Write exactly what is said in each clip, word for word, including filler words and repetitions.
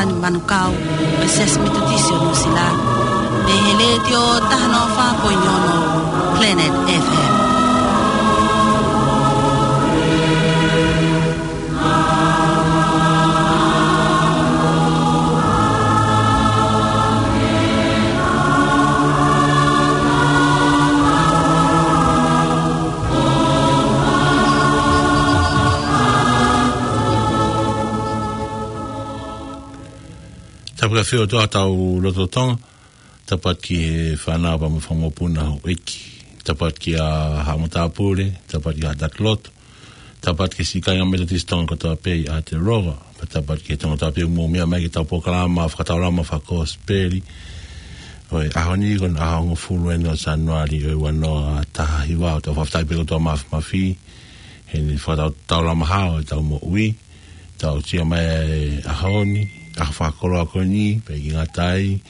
Manukau, ʻo e Siasi Metotisi ʻo Nuʻusila, mei he Letiō taha noa fā poini ono Planet F M. Tapu ki he ʻOtua ʻi hotau lotolotonga. Tapu atu ki he fānau pea mo e fanga mokopuna houʻeiki. Tapu atu kia Haʻa Matāpule, tapu atu kia Haʻa Takiloto, tapu atu ki he siʻi kāinga Metotisi Tonga kotoa pē ʻi Aotearoa, pea tapu atu ki he Tonga kotoa pē ʻoku mou meʻa mai ki heʻetau polokalama fakataulama fakakosipeli ʻo e ʻaho ni, ko e ʻaho hongofulu ʻeni ʻo Sānuali ʻo e ua noa taha hiva. ʻOku tau fakafetaʻi pē ki he ʻOtua Māfimafi, heʻene fakataulama hao ʻetau moʻui, tau sio mai he ʻaho ni, ʻaho fakakoloa ko eni, pea ʻikai ngata ai,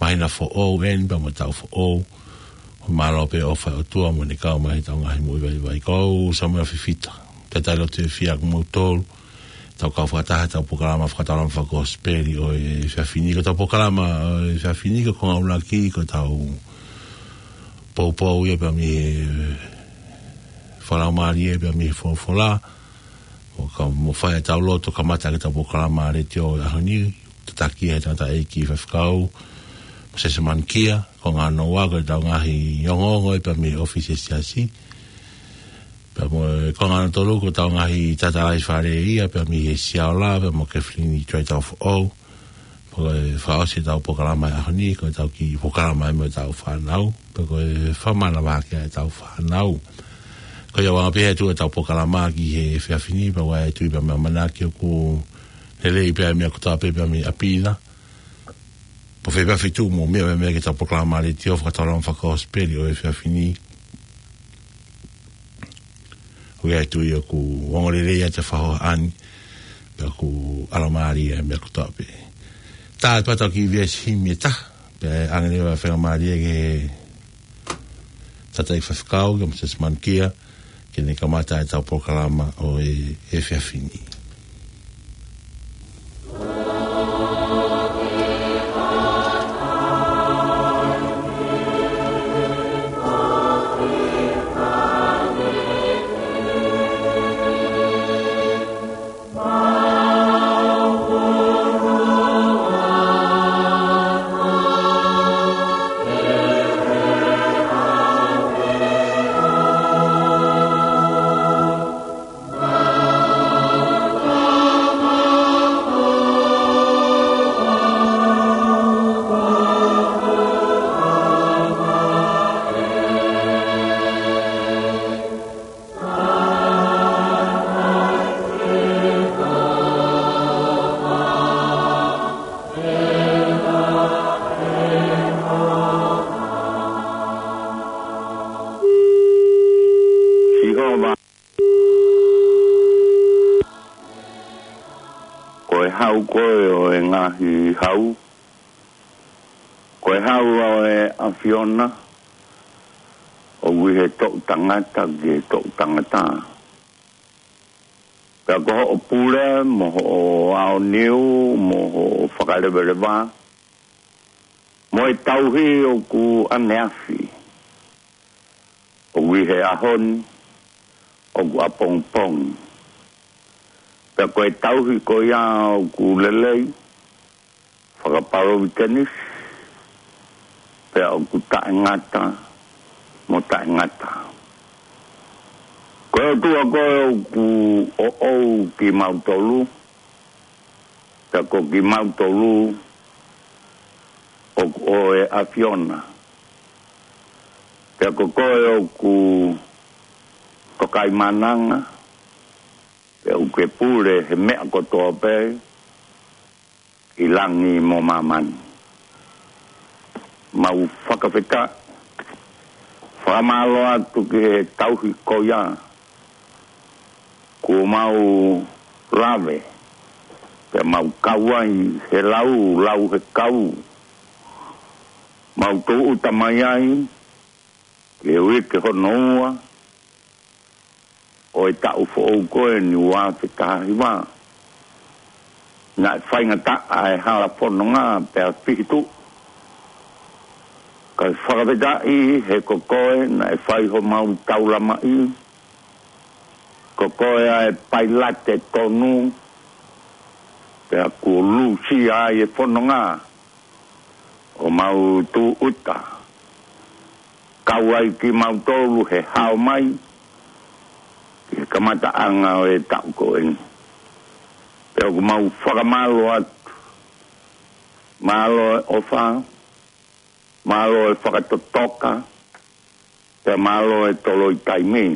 māhina foʻou ʻeni, pea mo e taʻu foʻou. Mālō pē ʻofa ʻa e ʻOtua mo ʻene kau mai heʻetau ngaahi moʻui vaivai. Ko au Samuela Fifita, talitali lotu fiefia kimoutolu, tau kau fakataha heʻetau polokalama fakataulama fakakosipeli ʻo e efiafi ni. Ko ʻetau polokalama ʻo e efiafi ni, ko e konga ʻuluaki, ko ʻetau poupou ia pea mei he fakalaumālie pea mei he folofola. ʻO ka mou fai ʻetau lotu kamata ʻaki ʻetau polokalama letiō ʻo e ʻaho ni, tataki ʻe he tangataʻeiki faifekau, Mōsese Manukia, konga hono ua ko ʻetau ngaahi ongoongo ia pea mei he ʻōfisi ʻo e Siasi. Pea mo e konga hono tolu ko ʻetau ngaahi tatalaifale ia pea mei he Siaola, pea mo Kathleen ʻi Tuaitaufoʻou. Pea ko e fakaʻosi ʻetau polokalama ʻo e ʻaho ni, ko ʻetau kiʻi polokalama ia mo ʻetau fānau, pea ko e fakamanavahē ʻetau fānau. Ko ia ʻoku anga pē ʻetau polokalama ki he efiafi ni, pea ʻoku ou tui pea mo e ʻamanaki ʻoku lelei pē ʻa e meʻa kotoa pē pea mei ʻapi na. Pe ko fē pē feituʻu ʻoku mou meʻa mai ai ki heʻetau polokalama letiō fakataulama fakakosipeli ʻo e efiafi ni, ʻoku ou tui ʻoku ongo lelei ʻa e fakahohaʻa ni, pea ʻoku ʻalomālie ʻa e meʻa kotoa pē. Tā atu pē ʻetau kiʻi veesi himi ʻe taha, pea ʻe ʻoange leva e faingamālie ki he tangataʻeiki faifekau, kia Mōsese Manukia, ke ne kamata ʻetau polokalama ʻo e efiafi ni. Sihova, ko e hau koe ʻo e ngaahi hau, ko e hau ʻo e ʻAfiona, ʻoku ʻi he toʻutangata ki he toʻutangata. Pea ko hoʻo pule, mo hoʻo aoniu, mo hoʻo fakaleveleva, mo e tauhi ʻoku ʻaneafi, ʻoku ʻi he ʻaho ni, ʻoku ʻapongipongi. Pea ko e tauhi ko ia ʻoku lelei, fakapalōvitenisi, pea ʻoku taʻengata mo taʻengata. Ko e ʻOtua koe ʻoku ʻoʻou kimautolu, pea ko kimautolu ʻoku ʻo e ʻAfiona. Pea ko koe ʻoku tokaimaʻananga, pea ʻoku ke pule he meʻa kotoa pē, ʻi langi mo māmani. Mau fakafetaʻi, fakamālō atu ki he tauhi ko ia kuo mau lave, pea mau kau ai he lau, lau he kau. Mau tūʻuta mai ai ki he uike hono ua ʻo e taʻu foʻou ko eni ua afe taha hiva. Naʻe faingataʻa e hala fononga pea fihi tuʻu. Kae fakafetaʻi he ko koe naʻe fai homau taulamaʻi. Ko koe ʻa e pailate tonu, pea kuo lusia ai e fononga ʻo mau tūʻuta. Kau ai kimautolu he hao mai ki he kamataʻanga ʻo e taʻu ko eni. Pea ʻoku mau fakamālō atu. Mālō e ʻofa, mālō e fakatotoka, pea mālō e toloi taimi.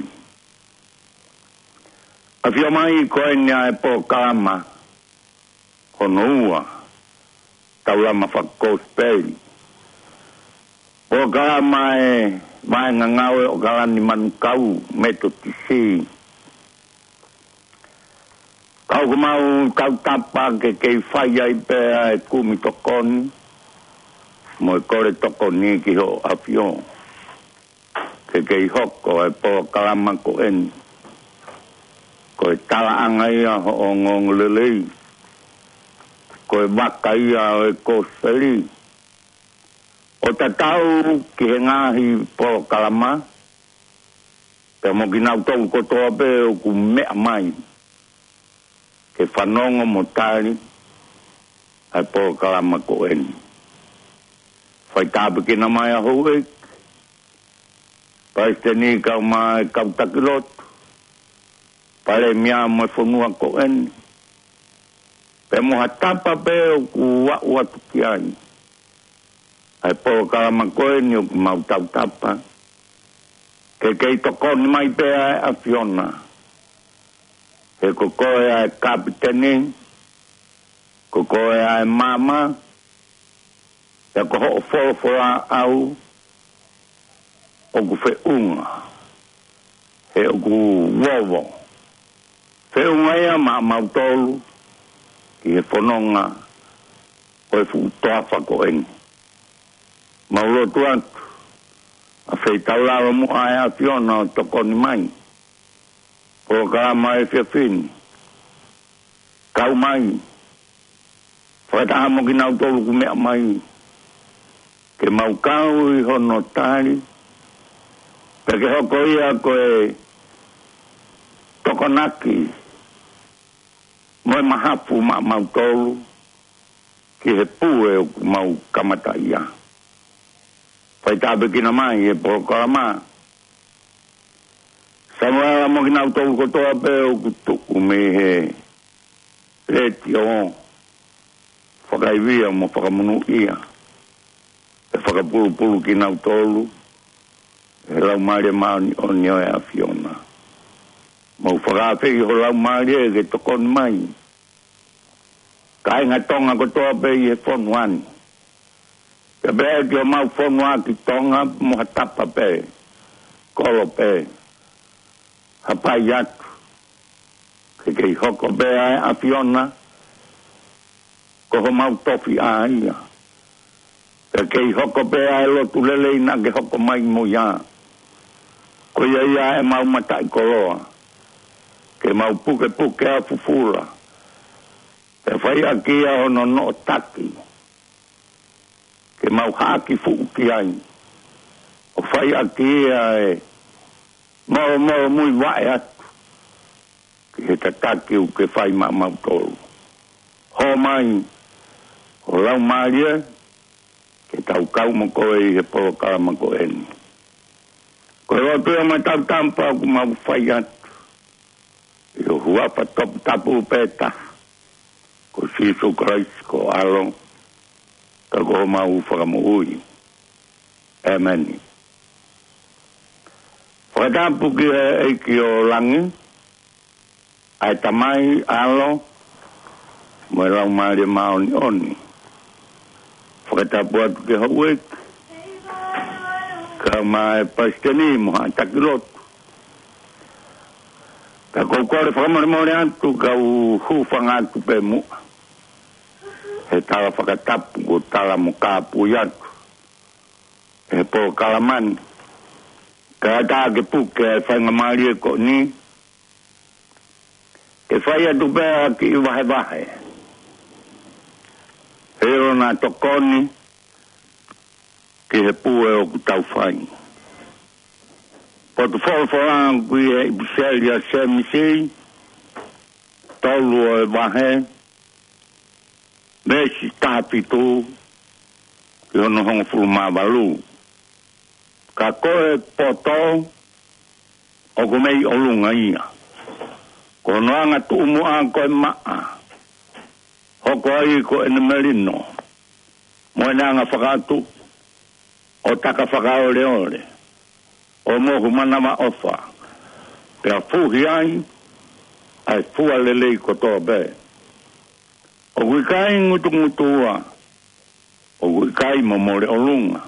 ʻAfio mai ko eni ʻa e polokalama hono ua, taulama fakakosipeli. Polokalama e vaenga ngāue ʻo ʻOkalani Manukau Metotisi. Ka ʻoku mau tautapa ke kei fai ai pē ʻa e kumi tokoni mo e kole tokoni ki hoʻo ʻafio. Ke kei hoko e polokalama ko eni ko e talaʻanga ia hoʻo ongoongolelei, ko e vaka ia ʻo e kosipeli. ʻO tatau ki he ngaahi polokalama, pea mo kinautolu kotoa pē ʻoku meʻa mai ke fanongo mo tali ʻa e polokalama ko eni. Faitāpuekina mai ʻa houʻeiki, palesiteni kae ʻumaʻā e kau taki lotu, palēmia mo e fonua ko eni, pea mo ha tapa pē ʻoku aʻu atu ki ai ʻa e polokalama ko eni, ʻoku mau tautapa ke kei tokoni mai pē ʻa e ʻAfiona. He ko koe ʻa e kapiteni, ko koe ʻa e maama, pea ko hoʻo folofola ʻaʻau ʻoku feʻunga, he ʻoku vovo. Feʻunga ia maʻamautolu ki he fononga ʻo e fuʻu toafa ko eni. Mau lotu atu ʻa feitaulalo muʻa ʻa e ʻAfiona ʻo tokoni mai. Polokalama efiafi ni, kau mai, fakataha mo kinautolu ʻoku meʻa mai, ke mau kau ʻi hono tali, pea ke hoko ia ko e tokonaki mo e mahafu maʻamautolu ki he pue ʻoku mau kamata ia. Faitāpuekina mai e polokalama. Samuela mo kinautolu kotoa pē ʻoku tuʻu mei he letiō, fakaivia mo fakamonūʻia, ʻe fakapulupulu kinautolu ʻe he Laumālie Māʻoniʻoni ʻo e ʻAfiona. Mau fakaafeʻi ho Laumālie ke tokoni mai. Kāinga Tonga kotoa pē ʻi he fonua ni, pea pehē ki homau fonuaʻaki Tonga mo ha tapa pē, kolo pē, hapai atu ke kei hoko pē ʻa e ʻAfiona ko homau tofiʻa ia. Pea kei hoko pē ʻa e lotu lelei naʻa ke hoko mai mo ia. Ko ia ia ʻemau mataʻikoloa, ke mau pukepuke ʻa fufula, pea fai ʻaki ia hono noʻotaki, ke mau haʻaki fuʻu ki ai, ʻo fai ʻaki ia e molomolo muivaʻe atu ki he tataki ʻoku ke fai maʻamautolu. Hō mai ho Laumālie ke tau kau mo koe ʻi he polokalama ko eni. Ko e lotu ia mo e tautapa ʻoku mau fai atu ʻi ho huafa toputapu pē taha, ko Sīsū Kalaisi ko ho ʻAlo, ka ko homau Fakamoʻui. ʻĒmeni. Fakatapu ki he ʻEiki ʻo langi, ʻa e Tamai, ʻAlo, mo e Laumālie Māʻoniʻoni. Fakatapu atu ki he houʻeiki, kae ʻumaʻā e palesiteni mo haʻa taki lotu. Ka ʻoku ou kole fakamolemole atu, kau hūfanga atu pē muʻa he tala fakatapu kuo tala mo kāpui atu ʻe he polokalama ni. Kae ʻatā ke puke e faingamālie ko eni ke fai atu pē ha kiʻi vahevahe ʻIo, naʻa tokoni ki he pue ʻoku tau fai. Potu folofola ʻoku ʻi he ʻipiseli ʻa Sēmisi, tolu ʻo e vahe, veesi taha fitu ki hono hongofulu mā valu. Ka ko e poto ʻoku mei ʻolunga ia. Ko hono anga tuʻumuʻa ko e maʻa, hoko ai ko ʻene melino, mo ʻene anga fakaʻatu ʻo taka fakaoleole, ʻo mohu manavaʻofa, pea fuhi ai ʻa e fua lelei kotoa pē. ʻOku ʻikai ngutungutua, ʻoku ʻikai momole ʻolunga.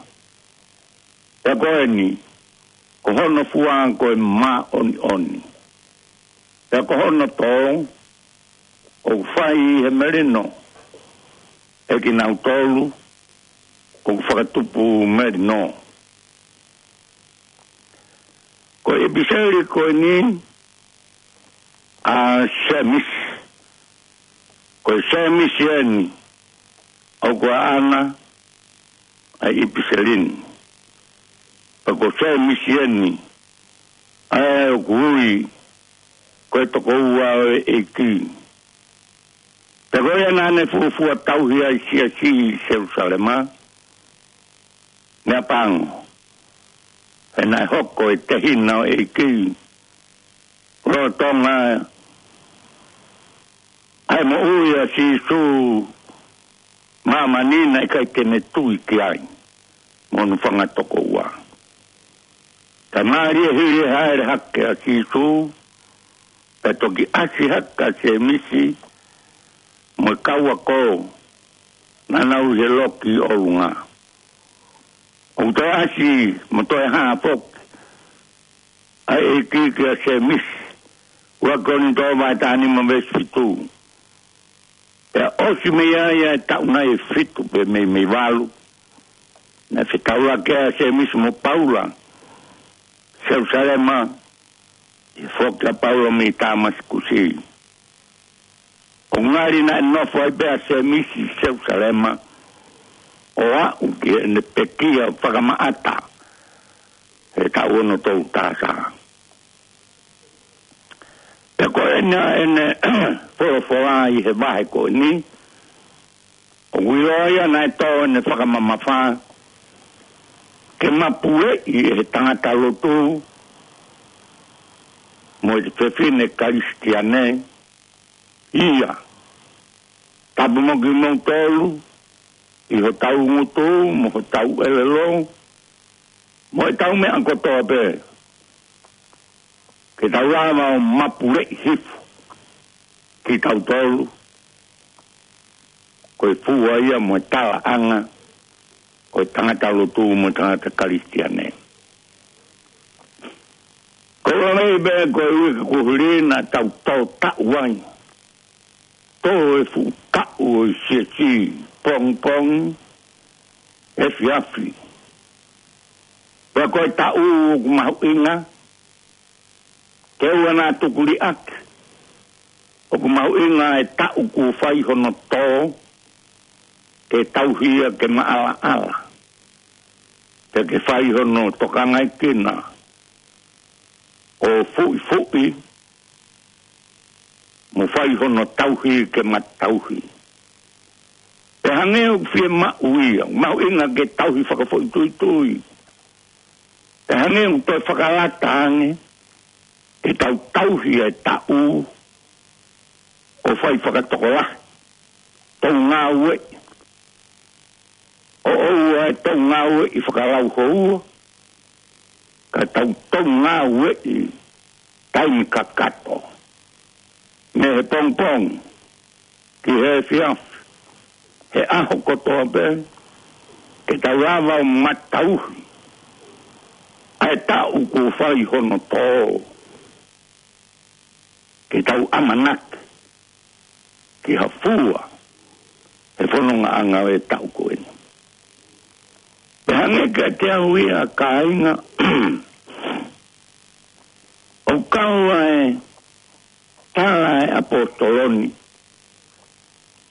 Pea ko eni, ko hono fua ko e māʻoniʻoni. Pea ko hono tō, ʻoku fai ʻi he melino, ʻe kinautolu ʻoku fakatupu melino. Ko e ʻipiseli ko eni ʻa Sēmisi, ko e Sēmisi eni ʻoku ʻaʻana ʻa e ʻipiseli ni. Pea ko Sēmisi eni ʻa ē ʻoku ui ko e tokoua ʻo e ʻEiki. Pea ko ia naʻa ne fuofua tauhi ai siasi ʻi Selūsalema, meʻapango, he naʻe hoko e tehina ʻo e ʻEiki lolotonga ʻa e moʻui ʻa Sīsū, māmani naʻe ʻikai te ne tui ki ai mo hono fanga tokoua. Ka mālie hili e hāʻele hake ʻa Sīsū, pea toki ʻasi hake ʻa Sēmisi mo e kau ako naʻa nau ʻi he loki ʻolunga. ʻOku toe ʻasi mo toe hā foki ʻa e ʻEiki kia Sēmisi, ua Kolinitō vahe taha nima veesi fitu. Pea ʻosi mei ai ʻa e taʻu nai ʻe fitu pe mei mei valu, naʻe fetaulaki ʻa Sēmisi mo Paula Selūsalema, ʻi he foki ʻa Paula mei Tāmasikusi. ʻOku ngali naʻe nofo ai pē ʻa Sēmisi Selūsalema ʻo aʻu ki heʻene pekia fakamaʻata he taʻu ono tolu taha taha. Pea ko ena ʻene folofola ʻi he vahe ko eni, ʻoku ʻiloa ia naʻe tō ʻene fakamamafa ke mapuleʻi ʻe he tangata lotu mo e fefine Kalisitiane ia. Tapu mo kimoutolu ʻi hotau ngutu mo hotau ʻelelo mo ʻetau meʻa kotoa pē, ke tau lava ʻo mapuleʻi hifo kitautolu ko e fua ia mo e talaʻanga ʻo e tangata lotu mo e tangata Kalisitiane. Ko e lave pē ko e uike kuo hili naʻa tau tō taʻu ai, tō e fuʻu taʻu ʻo e siasi, pongipongi, efiafi. Pea ko e taʻu ʻoku mahuʻinga ke ʻoua naʻa tuku liʻaki, ʻoku mahuʻinga e taʻu kuo fai hono tō, ke tauhi ia ke maʻalaʻala, pea ke fai hono tokangaekina ʻo fuʻifuʻi mo fai hono tauhi ke matauhi. Pea hangē ʻoku fiemaʻu ia, mahuʻinga ke tauhi fakafoʻituitui. Pea hangē ʻoku toe fakalata ange ke tau tauhi e taʻu ʻo fai fakatokolahi, tau ngāueʻi, ʻo ʻoua ʻe tau ngāueʻi fakalauhoua, ka tau tau ngāueʻi taimi kakato, mei he pongipongi ki he efiafi, he ʻaho kotoa pē, ke tau lava ʻo matauhi ʻa e taʻu kuo fai hono tō, ke tau ʻamanaki ki ha fua he fonongaʻanga ʻo e taʻu ko eni. Pea hangē kiate au ia, kāinga, ʻoku kau ai e tala ʻa e ʻaposetolo ni,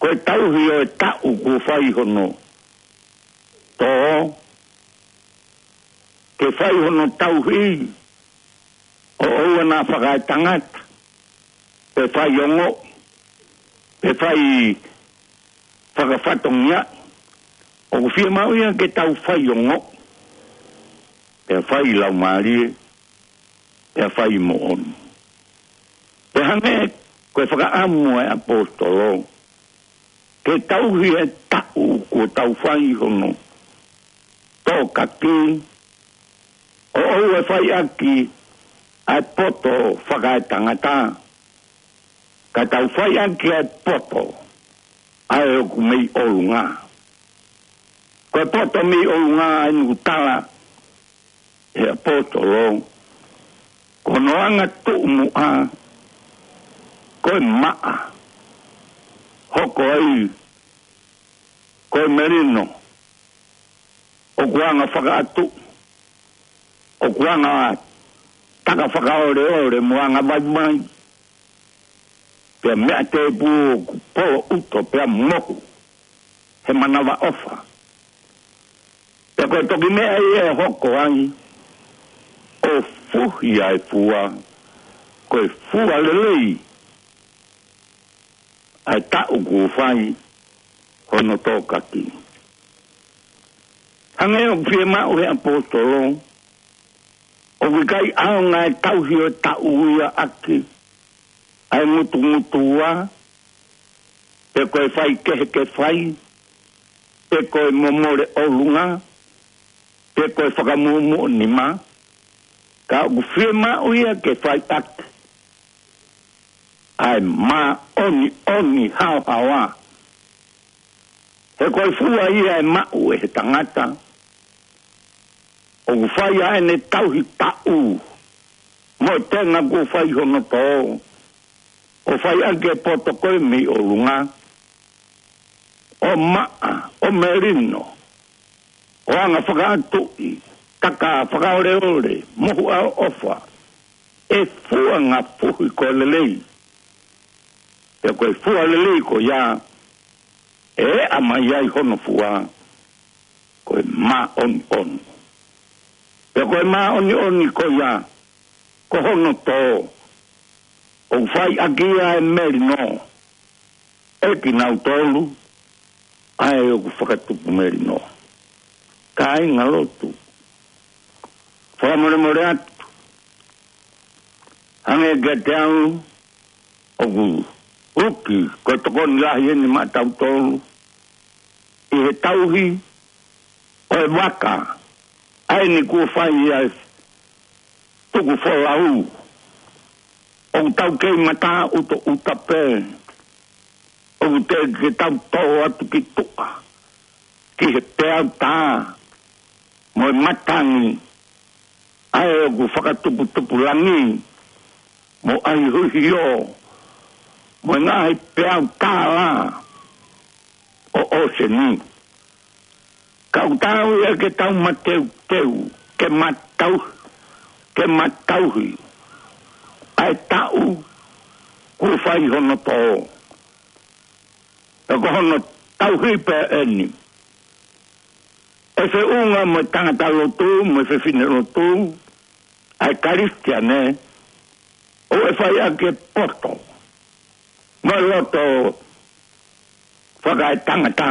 Ko e tauhi ʻo e taʻu kuo fai hono tō, ke fai hono tauhi ʻo ʻoua naʻa fakaetangata, pe fai ongo, pe fai fakafatongia. ʻOku fiemaʻu ia ke tau fai ongo, pea fai laumālie, pea fai moʻoni. Pea hangē ko e fakaʻamu ʻa e ʻaposetolo ke tauhi e taʻu kuo tau fai hono tōkaki, ʻo ʻoua ʻe fai ʻaki ʻa e poto fakaetangata, ka tau fai ʻaki ʻa e poto ʻa ē ʻoku mei ʻolunga. Ko e poto mei ʻolunga ʻa ē ʻoku tala ʻe he ʻaposetolo, ko hono anga tuʻumuʻa ko e maʻa, hoko ai ko e melino, ʻoku anga fakaʻatu, ʻoku anga taka fakaoleole mo anga vaivai, pea meʻa tēpū ʻoku polo ʻuto pea mohu he manavaʻofa. Pea ko e toki meʻa ia ʻe hoko ai ʻo fuhi ʻa e fua, ko e fua lelei ʻa e taʻu kuo fai hono tōkaki. Hangē ʻoku fiemaʻu ʻe he ʻaposetolo, ʻoku ʻikai ʻaonga e tauhi ʻo e taʻu ia ʻaki ʻa e ngutungutua, pe ko e fai kehe ke fai, pe ko e momole ʻolunga, pe ko e fakamuʻomuʻa nima, ka ʻoku fiemaʻu ia ke fai ʻaki ʻa e māʻoniʻoni haohaoa. He ko e fua ia ʻe maʻu ʻe he tangata ʻoku fai ʻa ʻene tauhi taʻu mo e tenga kuo fai hono tō, ʻo fai ʻaki e poto ko ē mei ʻolunga, ʻo maʻa, ʻo melino, ʻo anga fakaʻatuʻi, taka fakaoleole, mohu ʻaoʻofa, ʻe fua ngaahi fuhi ko e lelei. Pea ko e fua lelei ko ia, ʻe ʻama ai hono fua, ko e māʻoniʻoni. Pea ko e māʻoniʻoni ko ia, ko hono tō, ʻoku fai ʻaki ia e melino ʻe kinautolu ʻa ē ʻoku fakatupu melino. Kāinga lotu, fakamolemole atu, hangē kiate au ʻoku uki ko e tokoni lahi eni maʻatautolu ʻi he tauhi ʻo e vaka, ʻa eni kuo fai ʻa e tuku folau, ʻoku tau kei mataʻutoʻuta pē, ʻoku teʻeki ke tau tō atu ki tuʻa, ki he peau tā mo e matangi, ʻa ē ʻoku fakatuputupulangi mo ʻahiʻahio mo e ngaahi peau tā lā ʻo ʻōseni. Ka ʻoku taau ia ke tau mateuteu, ke matau, ke matauhi ʻa e taʻu kuo fai hono tō. Pea ko hono tauhi pē eni ʻe feʻunga mo e tangata lotu, mo e fefine lotu, ʻa e Kalisitiane, ʻo ʻe fai ʻaki e poto mo e loto fakaetangata,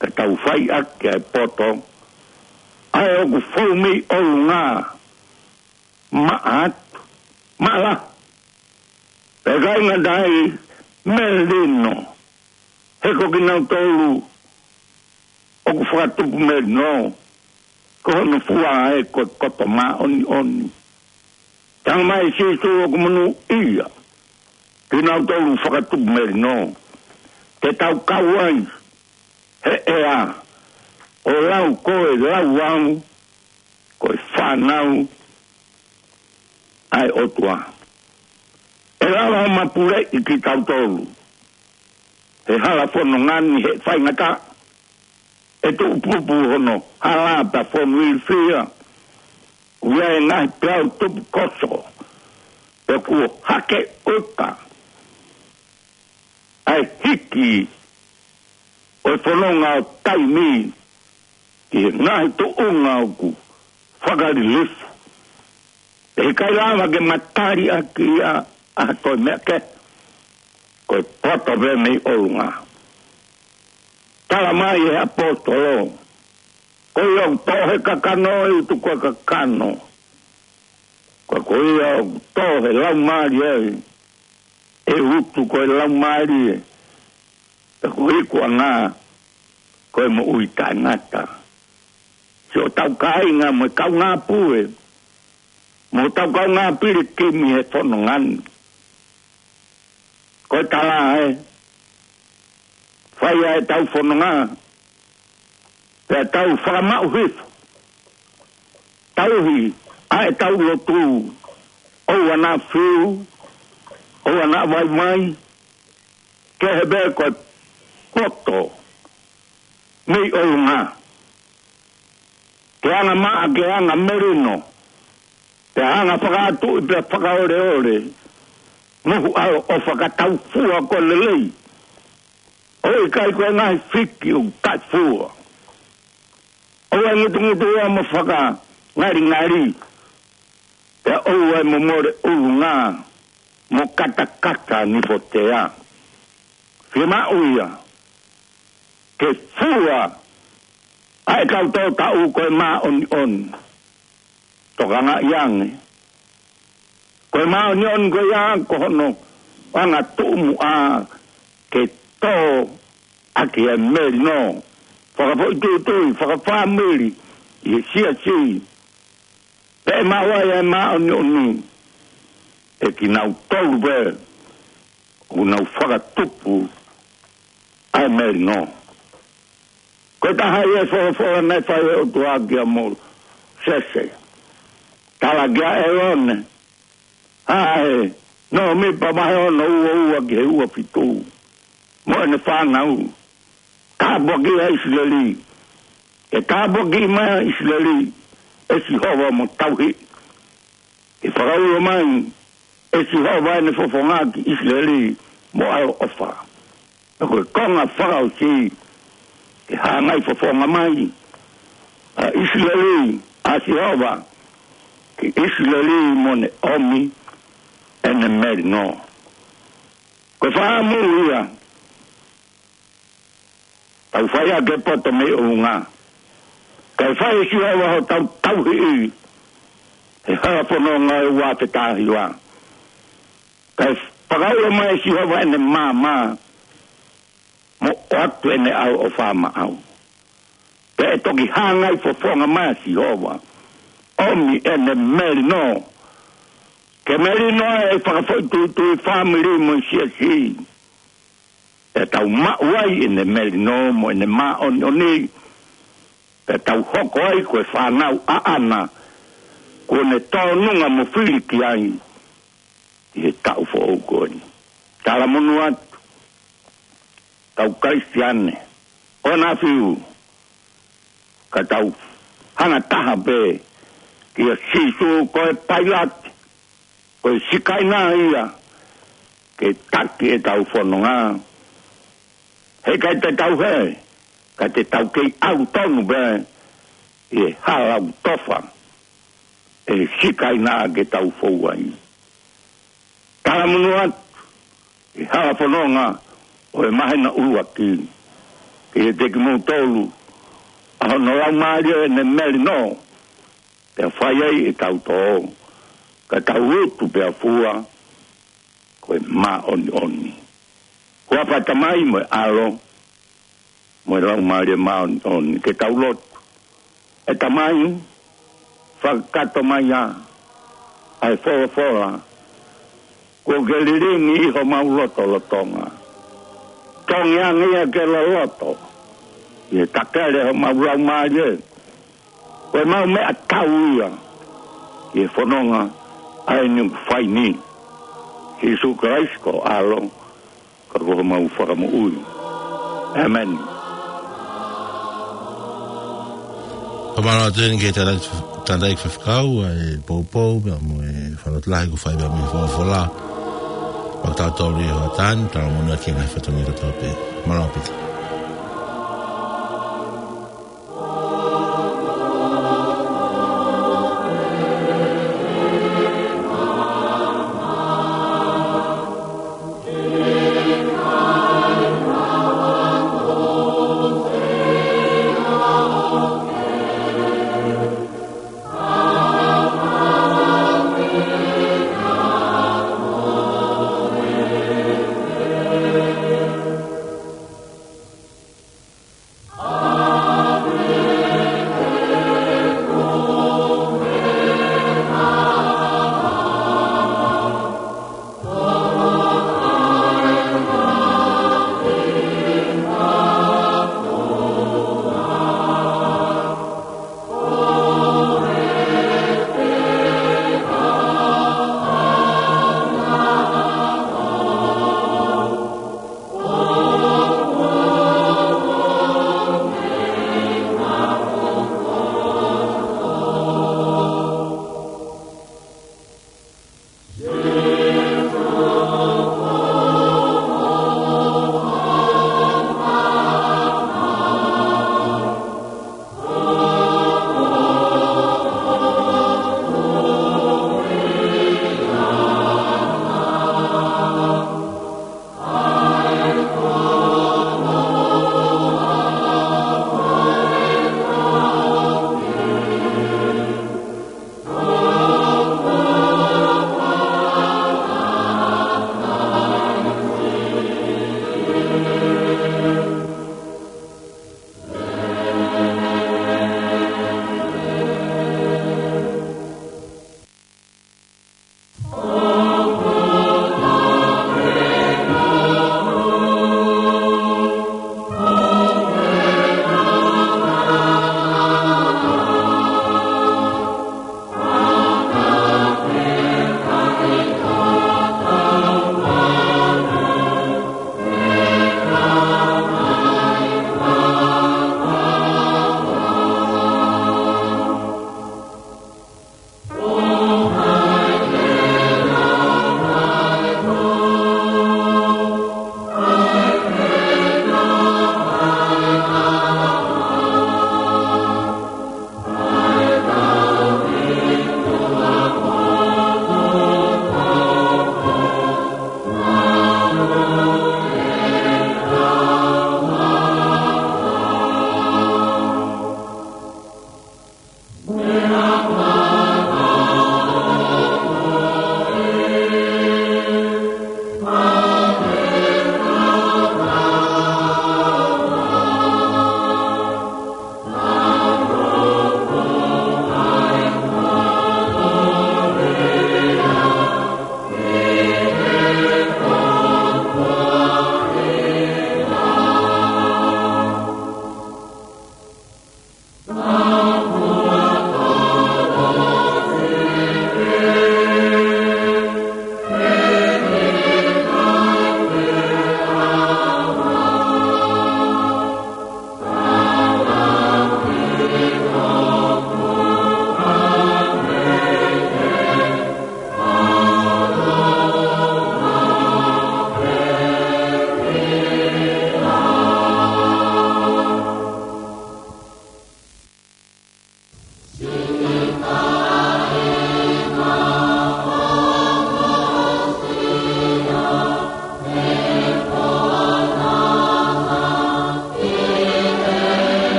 ka tau fai ʻaki ʻa e poto ʻa ē ʻoku fou mei ʻolunga, maʻa atu, maʻa lahi. Pea ʻikai ngata ai, melino. He ko kinautolu ʻoku fakatupu melino, ko hono fua ē ko e koto māʻoniʻoni. Talamai ʻe Sīsū ʻoku monūʻia kinautolu fakatupu melino, te tau kau ai he ʻea, ʻo lau ko e lau au ko e fānau ʻa e ʻOtua. ʻE lava ʻo mapuleʻi kitautolu he hala fononga ni he faingataʻa, ʻe tuʻupupu hono hala pea fonu ilifia, ʻoku ʻi ai e ngaahi peau tupu koso, pea kuo hake uka ʻa e hiki ʻo e fononga ʻo taimi ki he ngaahi tuʻunga ʻoku fakalilifu. ʻE ʻikai lava ke matali ʻaki ia ʻa e toe meʻa kehe, ko e poto pē mei ʻolunga. Tala mai ʻe he ʻaposetolo, ko ia ʻoku tō he kakano ʻe utu ko e kakano. Ka ko ia ʻoku tō he laumālie ʻe utu ko e laumālie. Pea ko e ikuʻanga ko e moʻui taʻengata. Siʻotau kāinga mo e kaungāpue, mo ʻetau kaungāpilikimi he fononga ni. Ko e tala ē, fai ʻa ʻetau fononga, pea tau fakamaʻu hifo. Tauhi ʻa ʻetau lotu, ʻoua naʻa fiu, ʻoua naʻa vaivai, kehe pē ko e poto mei ʻolunga. Ke anga maʻa, ke anga melino, ke anga fakaʻatuʻi pea fakaoleole, mohu ʻaloʻofa ka tau fua ko e lelei. ʻOku ʻikai ko e ngaahi fiki ʻoku taʻefua. ʻOua ʻe ngutungutu ʻoua mo fakangalingali. Pea ʻoua ʻe momole ʻulunga mo katakata nipotea. Fiemaʻu ia ke fua ʻa e kau tōtaʻu ko e māʻoniʻoni. Tokangaʻi ange. Ko e māʻoniʻoni ko ia ko hono anga tuʻumuʻa ke tō ʻaki e melino. Fakafoʻituitui, fakafāmili, ʻi he siasi. Pea ʻe maʻu ai e māʻoniʻoni ʻe kinautolu pē ʻoku nau fakatupu ʻa e melino. Ko e taha ia e folofola naʻe fai ʻe he ʻOtua kia Mōsese. Tala kia ʻĒlone, ʻa ē, nōmipa vahe ono ua ua ki he ua fitu. Mo ʻene fānau. Tāpuakiʻi ʻa ʻIsileli. ʻE tāpuakiʻi mai ʻa ʻIsileli ʻe Sihova mo tauhi. ʻE fakaulo mai ʻe Sihova ʻene fofonga ki ʻIsileli mo ʻaloʻofa. Pea ko e konga fakaʻosi ke hāngai fofonga mai ʻa ʻIsileli, ʻa Sihova, ki ʻIsileli mo ne ʻomi ʻene melino. Ko e fakaʻamu ia, tau fai ʻaki e poto mei ʻolunga. Kae fai ʻe Sihova hotau tauhi ʻi he hala fononga ʻo e ua afe taha hiva. Kae fakaulo mai ʻe Sihova ʻene maama mo ʻoatu ʻene ʻaloʻofa maʻau. Pea ʻe toki hāngai fofonga mai ʻa Sihova, ʻomi ʻene melino. Ke melino ʻa e fakafoʻituitui, fāmili mo e siasi. Pea tau maʻu ai ʻene melino mo ʻene māʻoniʻoni. Pea tau hoko ai ko e fānau ʻaʻana kuo ne tōnunga mo fili ki ai ʻi he taʻu foʻou ko eni. Talamonū atu, kau Kalisitiane, ʻoua naʻa fiu, ka tau hanga taha pē kia Sīsū ko e pailate, ko e sikaina ia ke taki ʻetau fononga. Heʻikai te tau hē, ka te tau kei ʻalu tonu pē ʻi he hala ʻoku tofa ʻe he sikaina ke tau fou ai. Talamonū atu ʻi he hala fononga ʻo e māhina ʻuluaki, kiate kimoutolu ʻa hono Laumālie ʻene melino, pea fai ai ʻetau tō, ka tau utu pea fua ko e māʻoniʻoni. Huafa ʻo e Tamai mo e ʻAlo mo e Laumālie Māʻoniʻoni. Ke tau lotu. ʻE Tamai, fakakakato mai ā ʻa e folofola kuo ke lilingi ʻi homau lotolotonga. Tongi ange ia ke loloto ʻi he takele homau laumālie, ko e mau meʻatau ia ʻi he fononga ʻa eni ʻoku fai ni. Sīsū Kalaisi ko ho ʻAlo, ka ko homau Fakamoʻui. ʻĒmeni. Ka mālō atu eni ki he tangataʻeiki faifekau ʻa e poupou, pea mo e fakamatala kuo fai pea mo e folofola. ʻOku tau tō ʻi he hoʻatā ni, tau monūʻia ki he ngaahi fatongia kotoa pē. Mālō ʻaupito.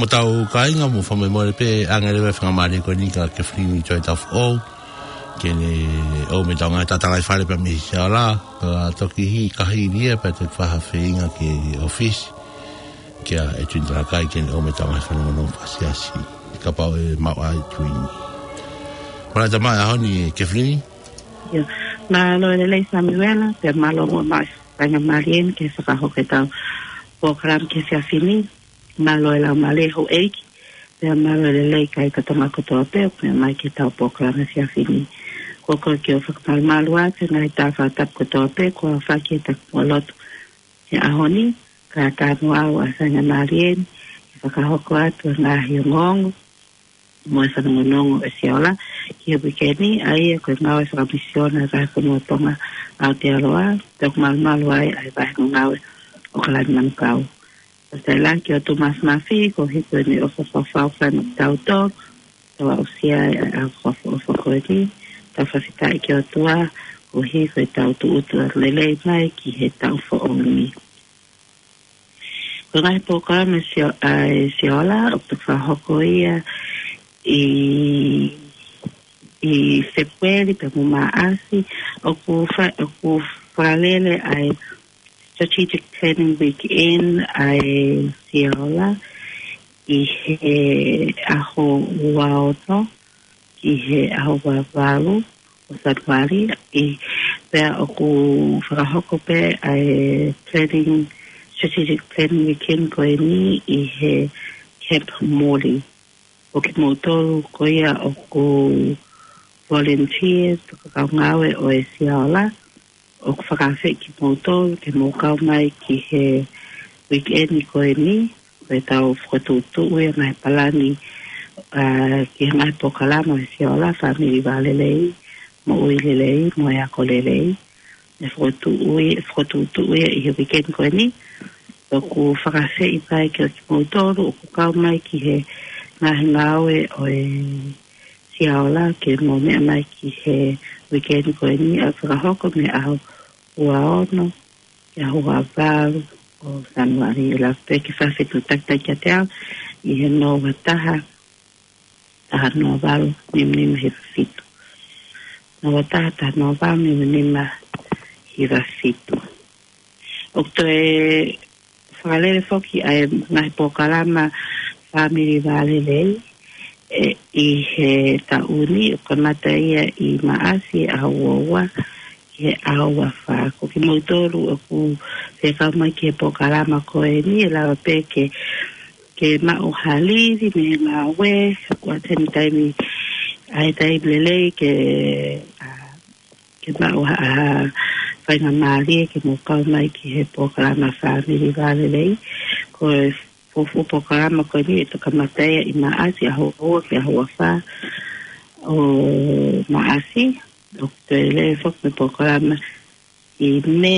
Tau kāinga, mou fakamolemole pē, ʻange leva e faingamālie ko eni kia Kefilini Joy Tafoʻou ke ne ʻomai ʻetau ngaahi tatalaifale pea mei Siola, ka toki hiki kahi ia pea toki fakafeinga ki he ʻōfisi kia ʻEtuini Talakai ke ne ʻomai ʻetau ngaahi fanongonongo fakasiasi, kapau ʻe maʻu ʻa ʻEtuini. Mālō e tama ʻaho ni, Kefilini. Mālō e lelei Samiuela, pea mālō muʻa e faingamālie ni ke fakahoko ʻetau polokalama ki he efiafi ni. Mālō e laumālie houʻeiki, pea mālō e lelei kakai Tonga kotoa pē ʻoku meʻa mai ki heʻetau polokalama he efiafi ni. Ko koe ke u fakamalumalu atu he ngaahi tala fakatapu kotoa pē kuo aofaki he takimuʻa lotu he ʻaho ni, ka ʻoku ou ʻoatu ʻa e faingamālie ni ke fakahoko atu e ngaahi ongoongo mo e fanongonongo ʻa e Siola ki he uike ni, ʻa ia ko e ngāue fakamisiona ʻa e Fonua Tonga ʻAotearoa, pea ʻoku malumalu ai ʻa e vahenga ngāue ʻo ʻAokalani Manukau. Ko e tailaki ʻo Tūmasi Mafi, koeʻuhi ko ʻene ʻofa fakafaifekau kiate kitautolu, tau aʻusia ai ʻa e ʻaho fakaʻofoʻofa ko eni, tau fakafetaʻi ki he ʻOtua, koeʻuhi ko ʻetau tuʻutuʻuni lelei mai ki he taʻu foʻou ni. Ko e ngaahi polokalama Sio-, ʻa e Siola, ʻoku fakahoko ia ʻi, ʻi Fēpueli pea mo Maʻasi, ʻoku fa-, ʻoku fakalele ʻa e Strategic Planning Weekend ʻa e Siola ʻi he ʻaho ua ono ki he ʻaho ua valu ʻo Sānuali, ʻi, pea ʻoku fakahoko pē ʻa e planning, strategic planning weekend ko eni ʻi he Camp Morley. Ko kimoutolu ko ia ʻoku volunteers, tokanga ngāue ʻo e Siola, ʻoku fakaafeʻi kimoutolu ke mou kau mai ki he weekend ko eni, ko ʻetau fokotuʻutuʻu ia ngaahi palani, ʻa, ki he ngaahi polokalama ʻa e Siola, Fāmili Vālelei, Moʻui Lelei, mo e Ako Lelei. ʻE fokotuʻu ia, fokotuʻutuʻu ia ʻi he weekend ko eni. ʻOku fakaafeʻi pē kimoutolu ʻoku kau mai ki he ngaahi ngāue ʻo e Siola ke mou meʻa mai ki he weekend ko eni, ʻa ia ʻe fakahoko mei he ʻaho ua ono ki he ʻaho ua valu ʻo Sānuali. ʻE lava pē ke fakafetuʻutaki kiate au ʻi he noa ua taha, taha noa valu, nima nima hiva fitu. Noa ua taha, taha noa valu, nima nima hiva fitu. ʻOku toe fakalele foki ʻa e ngaahi polokalama Fāmili Vālelei, ʻe, ʻi he taʻu ni, ʻoku kamata ia ʻi Maʻasi ʻaho ua ua ki he ʻaho ua fā. Ko kimoutolu ʻoku fie kau mai ki he polokalama ko eni, ʻe lava pē ke, ke maʻu ha livi mei he ngāue, ʻoku ʻi ai e taimi, ʻa e taimi lelei ke, ʻa, ke maʻu ha, ha faingamālie ke mou kau mai ki he polokalama Fāmili Vālelei. Ko e fuofua polokalama ko eni ʻe toki kamata ia ʻi Maʻasi ʻaho ua ki he ʻaho ua fā ʻo Maʻasi. ʻOku toe lele foki mo e polokalama ʻi Mē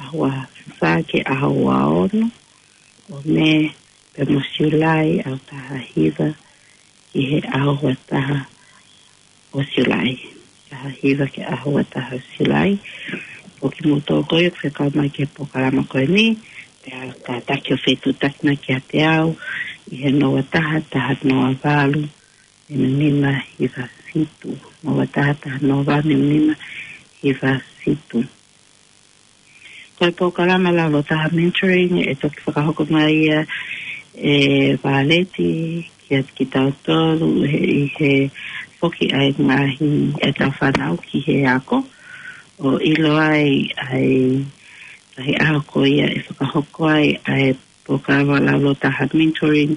ʻaho ua fā ki he ʻaho ua ono ʻo Mē, pea mo Siulai ʻaho taha hiva ki he ʻaho ua taha ʻo Siulai. Taha hiva ki he ʻaho ua taha ʻo Siulai. Ko kimoutolu ko ia ʻoku fie kau mai ki he polokalama ko eni, pea kātaki ʻo fetuʻutaki mai kiate au ʻi he noa ua taha, taha noa valu, nima nima hiva fitu. Noa ua taha, taha noa valu, nima nima hiva fitu. Ko e polokalama Laulotaha Mentoring, ʻe toki fakahoko mai ia ʻe Vāleti kiate kitautolu he, ʻi he foki ʻa e ngaahi ʻetau fānau ki he ako, ʻo ʻilo ai ʻa e ngaahi ʻaho ko ia ʻe fakahoko ai ʻa e polokalama Laulotaha Mentoring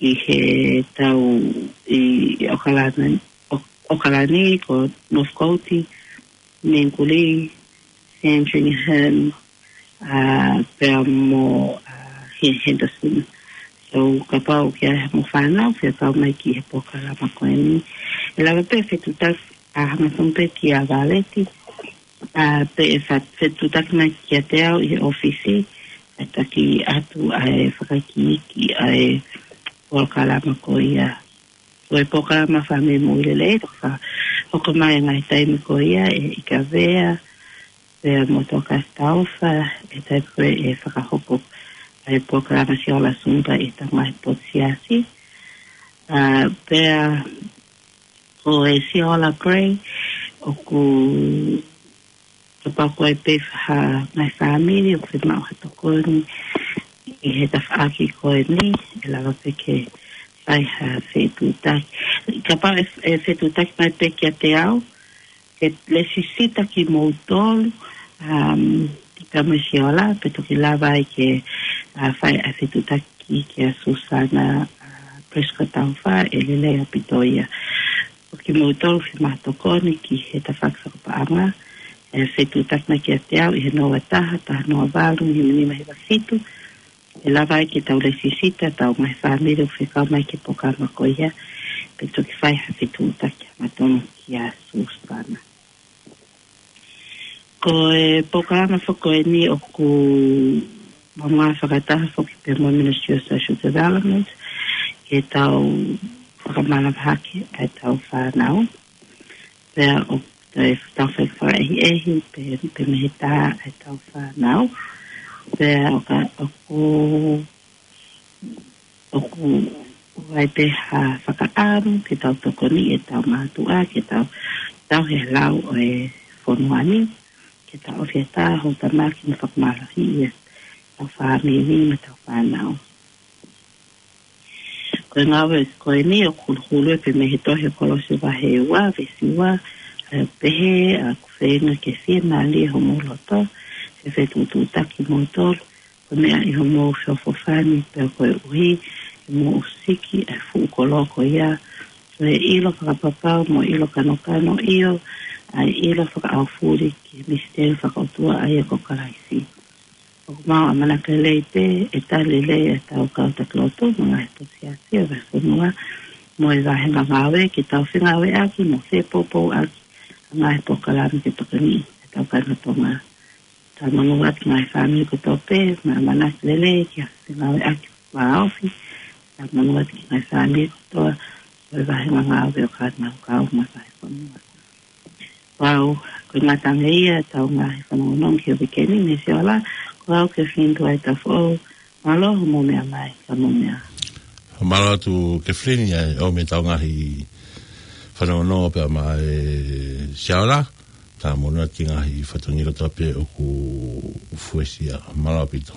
ʻi he tau ʻi ʻAokalani, ʻo-, ʻAokalani ko Northcote, Mangere, Sandringham, ʻa, pea mo, ʻa, Hen-, Henderson. So, kapau ʻoku ʻi ai haʻamou fānau fie kau mai ki he polokalama ko eni, ʻe lava pē fetuʻutaki, ʻa, hangatonu pē kia Vāleti, ʻa, pe ʻe fa-, fetuʻutaki mai kiate au ʻi he ʻōfisi, ʻe taki atu ʻa e fakaikiiki ʻa e polokalama ko ia. Ko e polokalama Fāmili Moʻui Lelei, ʻe toki fakahoko mai ʻi he ngaahi taimi ko ia ʻe ʻIkavea, pea mo Tokasi Taufa, ʻi he taimi ko ē ʻe fakahoko e polokalama Siola Zumba ʻi he ngaahi potu siasi. ʻA, pea ko e Siola Grey, ʻoku kapau ko e pē ha ngaahi fāmili ʻoku fiemaʻu ha tokoni ʻi he tafaʻaki ko eni, ʻe lava pē ke fai ha fetuʻutaki. Kapau ʻe, ʻe fetuʻutaki mai pē kiate au, ke lesisita kimoutolu, um, ki Kamesiola, pea toki lava ai ke, uh, fai ʻa e fetuʻutaki kia Susana, uh, Prescott Taufa, ʻe lelei ʻaupito ia. Ko kimoutolu fiemaʻu ha tokoni ki he tafaʻaki fakapaʻanga, ʻe fetuʻutaki mai kiate au ʻi he noa taha, taha noa valu, nima nima hiva fitu, ʻe lava ai ke tau lesisita ʻetau ngaahi fāmili ʻoku fekau mai ki he polokalama ko ia, pea toki fai ha fetuʻutaki hangatonu kia Susana. Ko e polokalama foki ko eni ʻoku maʻu fakataha foki pē mo e Ministry of Social Development, ke tau fakamanavahake ʻetau fānau. Pea ʻoku tau fai fakaʻehiʻehi pē, pē mei he tā ʻetau fānau. Pea ʻoku, ʻoku, ʻoku ʻi ai pē ha fakaʻamu ke tau tokoniʻi ʻetau mātuʻa, ke tau, tau he lau ʻo e fonua ni, ke tau ʻofi ʻetau houʻeiki mo fakamālohiʻi ʻetau fāmili mo ʻetau fānau. Ko e ngāue ko eni ʻoku huluhulu pē mei he tohi ʻa Kolose vahe ua, veesi ua, ʻa e pehē, ʻa ʻoku feinga ke fiemālie homou loto, he fetuʻutuʻutaki kimoutolu, ko e meʻa ʻi homou feʻofoʻofani, pea koeʻuhi ʻe mou siki ʻa e fuʻu kolo ko ia, ko e ʻilo fakapapau mo e ʻilo kanokano, ʻio, ʻa e ʻilo fakaʻaufuli ki he misiteli fakaʻotua ʻa ia ko Kalaisi. ʻOku mau ʻamanaki lelei pē ʻe tali lelei ʻetau kau taki lotu mo e ngaahi potu siasi ʻo e vahefonua mo e vahenga ngāue, ke tau fengāueʻaki mo fepoupouʻaki ʻa e ngaahi polokalama ke tokoniʻi ʻetau kāinga Tonga. Tau monū atu ki he ngaahi fāmili kotoa pē, mo e ʻamanaki lelei ke fengāueʻaki vāofi. Tau monū atu ki he ngaahi fāmili kotoa ʻo e vahenga ngāue ʻo Kāinga Huka mo e vahefonua. Pau, ko e ngata ange ia ʻetau ngaahi fanongonongo ki he uike ni, Misiola, ko au Kathleen Tuaitafoʻou, mālō hoʻomou meʻa mai, ka mou meʻa. Mālō atu Kathleen, ʻa ia ʻoku mei ʻetau ngaahi fanongonongo pea mo e Siola, tau monū atu ki he ngaahi fatongia kotoa pē ʻoku fuesia, mālō ʻaupito.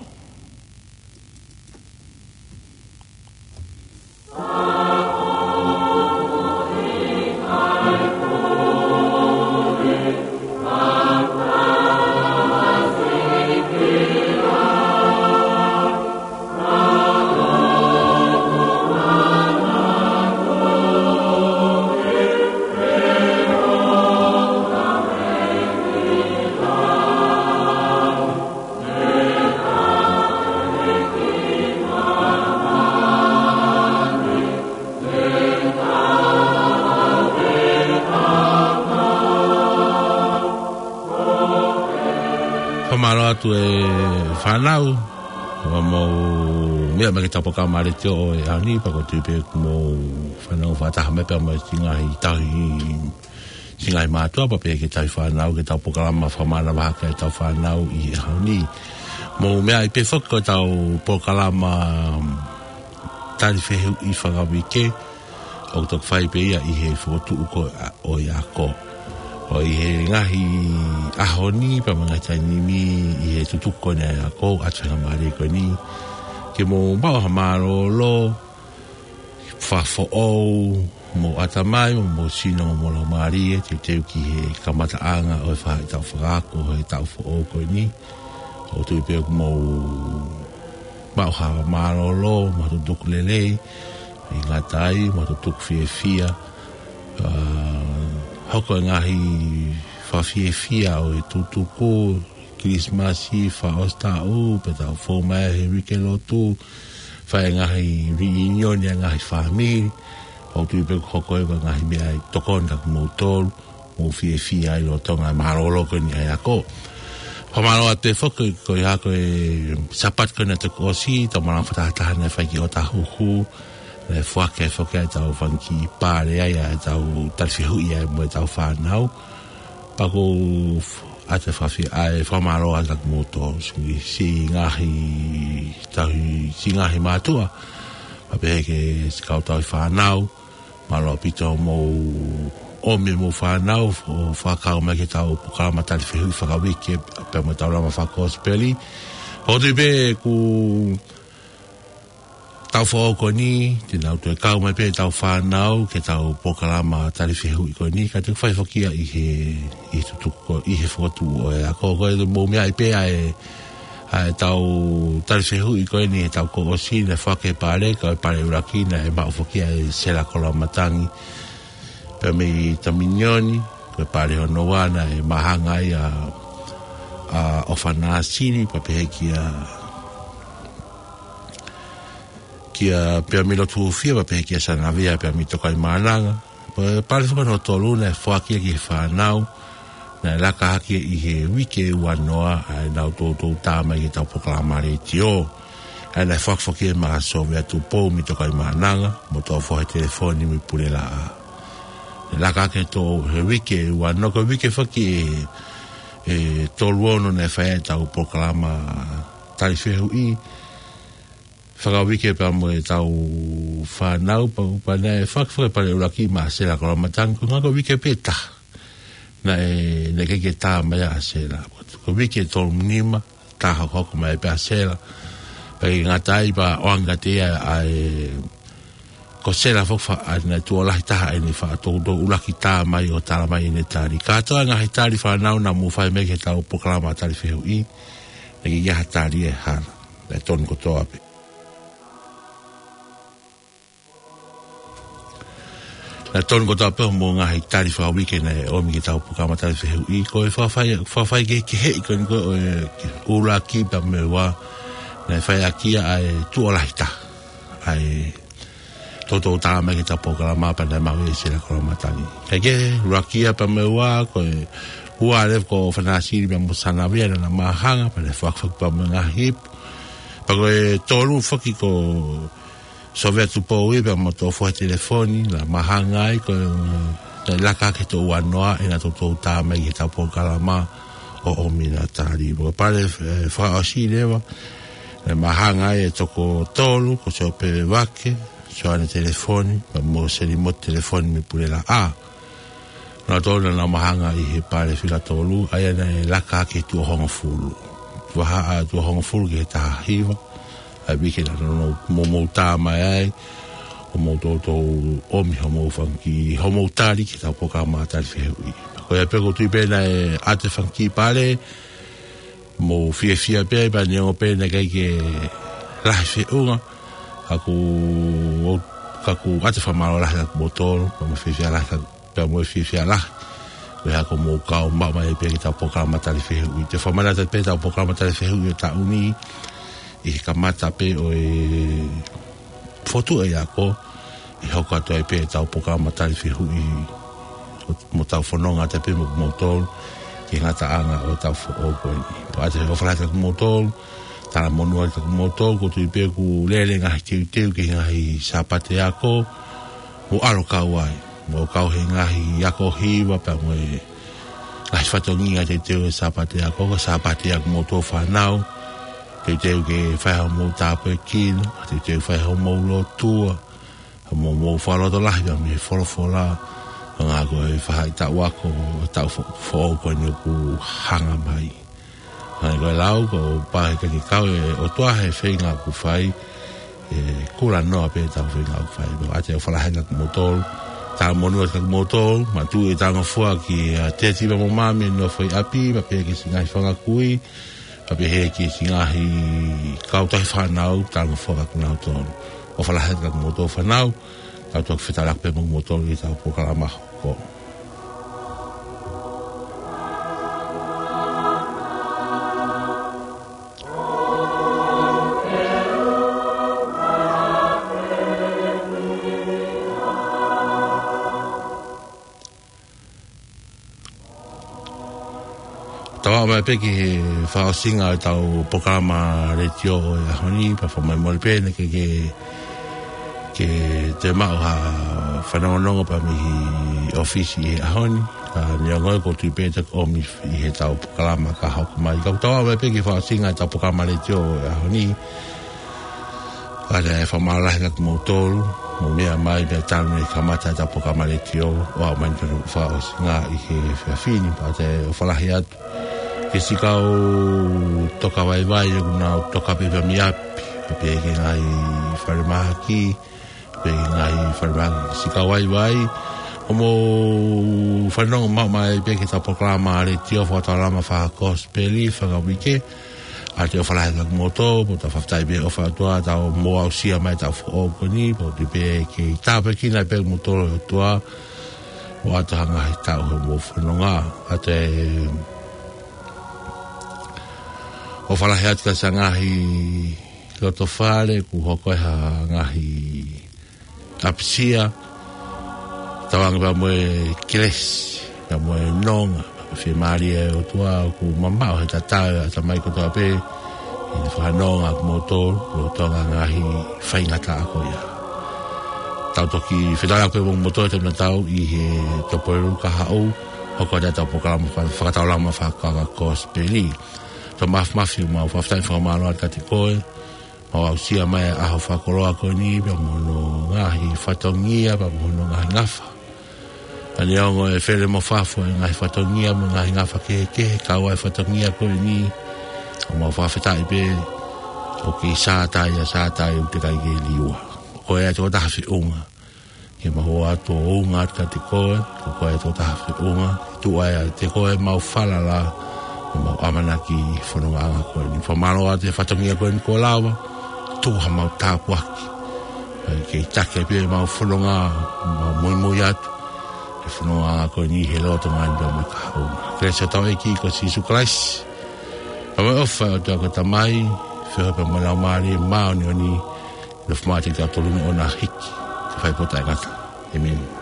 Fakamālō atu e fānau, ʻoku mou meʻa mai ki heʻetau polokalama letiō ʻo e ʻaho ni, pea ʻoku ou tui pē ʻoku mou fanongo fakataha mai pea mo e ngaahi tauhi, ngaahi mātuʻa, pea pehē ki he tauhi fānau, ki heʻetau polokalama fakamanavahake ʻetau fānau ʻi he ʻaho ni. Mou meaʻi pē foki ko ʻetau polokalama tali fehuʻi fakauike, ʻoku toki fai pē ia ʻi he fokotuʻu ko ia ʻo e ako. ʻO ʻi he ngaahi ʻaho ni, pea mo e ngaahi taimi ni, ʻi he tutuku ko eni ʻa e ako, ʻa e faingamālie ko eni, ke mou maʻu ha mālōlō fakafoʻou homou ʻatamai, mo homou sino, mo homou laumālie, teuteu ki he kamataʻanga ʻo e faʻahitaʻu fakaako ʻo e taʻu foʻou ko eni. ʻOku ou tui pē ʻoku mou maʻu ha mālōlō, mo ha tutuku lelei, ʻi he ngata ai, mo ha tutuku fiefia. ʻA, hoko e ngaahi fakafiefia ʻo e tutuku, Kilisimasi, fakaʻosi taʻu, pea tau fou mai he uike lotu, fai e ngaahi reunion ʻa e ngaahi fāmili, ʻoku ou tui pē ʻoku hoko ia ko e ngaahi meʻa ʻe tokoni kia kimoutolu, mou fiefia ai lolotonga e mālōlō ko eni ʻa e ako. Fakamālō atu foki ko ia ko e Sāpate ko eni naʻe toki ʻosi, ʻetau malanga fakatahataha naʻe fai ki ʻŌtāhuhu, naʻe foaki ai foki ʻetau fanga kiʻi pale ai ʻa ʻetau tali fehuʻi ai mo ʻetau fānau. Pea ʻoku ou ʻoatu e fakafie-, ʻa e fakamālō atu kiate kimoutolu, siʻi ngaahi tauhi, siʻi ngaahi mātuʻa, pea pehē ki he siʻi kau tauhi fānau, mālō ʻaupito hoʻomou ʻomi homou fānau ʻo fakakau mai ki heʻetau polokalama tali fehuʻi fakauike pea mo ʻetau lama fakakosipeli. ʻOku ou tui pē ʻoku tau foʻou ko eni, te nau toe kau mai pē ʻetau fānau ki heʻetau polokalama tali fehuʻi ko eni, kae toe fai foki ia ʻi he, ʻi he tutuku ko, ʻi he fokotuʻu ʻo e ako. Ko e mou meaʻi pē ʻa e, ʻa ʻetau tali fehuʻi ko eni, ʻetau kuo ʻosi naʻe foaki ʻe he pale, ko e pale ʻuluaki naʻe maʻu foki ʻe Sela Koloamatangi pea mei Taminioni, ko e pale hono ua naʻe māhanga ai ʻa, ʻa ʻOfa Nāsili, pea pehē kia kia Peami Lotuofia, pea pehē kia Sanavia, Peami Tokaimaʻananga. Pea pale foki hono tolu naʻe foaki ia ki he fānau, naʻe laka hake ʻi he uike ua noa, ʻa ʻenau toutou tā mai ki heʻetau polokalama letiō. ʻA ia naʻe foaki foki ʻe Sōvea Tupou mei Tokaimaʻananga, mo Toʻofohe Telefoni mei Pulelaʻā. Naʻe laka hake ʻi he uike ua noa, ko e uike foki ʻe, ʻe tolu ono naʻe fai ai ʻetau polokalama tali fehuʻi fakauike pea mo ʻetau fānau, pea, pea naʻe foaki foki e pale ʻuluaki ʻe Sela Koloamatangi, ko e ngaahi uike pē ʻe taha naʻe, naʻe ʻikai ke tā mai ai ʻa Sela. Ko e uike ʻe tolu nima, tā hokohoko mai pē ʻa Sela. Pea ʻikai ngata ai, pea ʻoange kiate ia ʻa e, ko Sela foki ʻa ʻene tuʻo lahi taha ʻene faʻa toutou ʻuluaki tā mai ʻo tala mai ʻene tali. Kātoa e ngaahi tali fānau naʻa mou fai mai ki heʻetau polokalama tali fehuʻi, naʻe ʻikai ha tali ʻe hala. Naʻe tonu kotoa pē. Naʻe tonu kotoa pē hoʻomou ngaahi tali fakauike naʻe ʻomi ki heʻetau polokalama tali fehuʻi. Ko e fakafai, fakafai kehekehe ko eni ko e ʻuluaki pea mo e ua, naʻe fai ʻaki ia ʻa e tuʻo lahi taha ʻa e toutou tā mai ki heʻetau polokalama pea naʻe maʻu ʻe Sela Koloamatangi. Kae kehe, ʻuluaki ia pea mo e ua, ko e ua leva ko ʻOfa Nāsili pea mo Sanavia naʻa na māhanga, pea naʻe foaki foki pea mo e ngaahi ipu. Pea ko e tolu foki ko Sōvea Tupou ia pea mo Toʻofohe Telefoni, naʻa na māhanga ai, ko e, naʻe laka hake ʻi he ua noa ʻenau toutou tā mai ki heʻetau polokalama ʻo ʻomi ʻena tali. Pea ko e pale, ē, fakaʻosi leva, naʻe māhanga ai e toko tolu, ko Siope Vake, Soane Telefoni, pea mo Selimote Telefoni mei Pulelaʻā. Naʻa nau māhanga ʻi he pale fika tolu, ʻa ia naʻe laka hake ʻi he tuʻo hongofulu. Vahaʻa tuʻo hongofulu ki he taha hiva, ʻa e uike naʻa mou, mou tā mai ai, ʻo mou toutou ʻomi hoʻomou fanga kiʻi, hoʻomou tali ki heʻetau polokalama tali fehuʻi. Ko ia pē ʻoku ou tui pē naʻe ʻoatu e fanga kiʻi pale, mou fiefia pē, pea neongo pē naʻe ʻikai ke lahi feʻunga, ka ʻoku, ka ʻoku ʻoatu e fakamālō lahi kiate kimoutolu, pea mo e fiefia lahi, pea mo e fiefia lahi. Ko e hā ko hoʻomou kau maʻu mai pē ki heʻetau polokalama tali fehuʻi. Te u fakamanatu pē ʻetau polokalama tali fehuʻi ʻo e taʻu ni, ʻi he kamata pē ʻo e fokotuʻu ʻo e ako, ʻe hoko atu ai pē ʻetau polokalama tali fehuʻi, ʻo, mo tau fononga atu pē mo kimoutolu, ki he ngataʻanga ʻo ʻetau foʻou ko eni. Pea ʻoatu e ʻofa lahi kiate kimoutolu, talamonū atu kiate kimoutolu, ʻoku ou tui pē ʻoku lele e ngaahi teuteu ki he ngaahi Sāpate ako, mou ʻalu ʻo kau ai, mou kau he ngaahi ako hiva pea mo e ngaahi fatongia teuteu ʻo e Sāpate ako, ko e Sāpate ako kimoutolu fānau, teuteu ke fai hoʻomou tāpuekina, teuteu fai hoʻomou lotua, hoʻomou, mou fakalotolahi pea mei he folofola, hangē ko e faʻahitaʻu ako ʻo e taʻu fo-, foʻou ko eni ʻoku hanga mai. Hangē ko e lau, kuo pau ke kau e ʻOtua he feinga ʻoku fai, ʻe kulanoa pē ʻetau feinga ʻoku fai. Pea ʻoatu e ʻofa lahi kiate kimoutolu, talamonū atu kiate kimoutolu, manatuʻi e talangofua kia Teti pea mo Mami ʻi he nofo ʻi ʻapi, pea pehē ki he siʻi ngaahi fanga kui, pea pehē ki he siʻi ngaahi kau tauhi fānau, talangofua kiate kinautolu. ʻOfa lahi atu kiate kimoutolu fānau, tau toki fetaulaki pē mo kimoutolu ʻi heʻetau polokalama hoko. Tau aʻu mai pē ki he fakaʻosinga ʻo ʻetau polokalama letiō ʻo e ʻaho ni, pea fakamolemole pē naʻe ʻikai ke, ke toe maʻu ha fanongonongo pea mei he ʻōfisi he ʻaho ni. Ka neongo ia, ʻoku ou tui pē te ke ʻomi ʻi heʻetau polokalama ka hoko mai. Ka ʻoku tau aʻu mai pē ki he fakaʻosinga ʻetau polokalama letiō ʻo e ʻaho ni. Pea ʻoku ou fakamālō lahi atu kiate kimoutolu, mou meʻa mai mei he taimi ne kamata ʻetau polokalama letiō, ʻo aʻu mai ki he fakaʻosinga ʻi he efiafi ni, pea ʻoku ou ʻofa lahi atu ki he siʻi kau toka vaivai, ʻoku nau toka pē mei ʻapi, pea pehē ki he ngaahi falemahaki, pea ki he ngaahi falemahaki, siʻi kau vaivai, ʻoku mou fanongo maʻu mai pē ki heʻetau polokalama letiō Fakataulama Fakakosipeli fakauike. ʻOku ou ʻofa lahi atu kiate kimoutolu, pea ʻoku tau fakafetaʻi pē he ʻofa ʻa e ʻOtua, ʻoku mou aʻusia mai ʻetau foʻou ko eni, pea ʻoku ou tui pē ʻe kei tāpuekina pē kimoutolu ʻe he ʻOtua, ʻo ʻoatu ha ngaahi taʻu hoʻomou fononga. ʻOku ou ʻofa lahi atu ki he siʻi ngaahi loto fale, kuo hoko ai ha ngaahi ʻapisia, tauange pea mo e kelesi, pea mo e nonga, pea fiemālie ʻa e ʻOtua ʻoku mamaʻo he tatau ʻa e ʻatamai kotoa pē, ʻi he fakanonga ʻa kimoutolu, ʻi he tonga ngaahi faingataʻa ko ia. Tau toki fetaulaki mo kimoutolu he taimi tatau ʻi he Tuʻapulelulu kahaʻu, hoko atu ʻetau polokalama fa-, Fakataulama Fakakosipeli. Tau mafimafi ʻo mau fakafetaʻi fakamālō atu kiate koe, ʻo aʻusia mai ʻa e ʻaho fakakoloa ko eni, pea mo hono ngaahi fatongia, pea mo hono ngaahi ngafa. Ka neongo e fele mo fafo e ngaahi fatongia mo e ngaahi ngafa kehekehe, kau ai e fatongia ko eni, ʻoku mau fakafetaʻi pē, ʻoku kei sātai ʻa Sātai ʻoku teʻeki ai ke liua. Ko ia te u taha feʻunga ke mau ō atu ʻo ʻunga atu kiate koe, ko koe te u taha feʻunga, ke tuʻu ai ʻiate koe ʻemau falala, ʻemau ʻamanaki ʻi he fonongaʻanga ko eni. Fakamālō atu he fatongia ko eni kuo lava, tuku haʻamau tāpuaki. Pea ke taki pē ʻemau fononga, mau muimui atu he fonongaʻanga ko eni he lolotonga ni pea mo e kahaʻu. Kelesi ʻa hotau ʻEiki ko Sīsū Kalaisi, pea mo e ʻofa ʻa e ʻOtua ko e Tamai, feohi pea mo e Laumālie Māʻoniʻoni, nofo maʻa kitautolu ni ʻo na hiki, ke fai pē ʻo taʻengata. ʻĒmeni.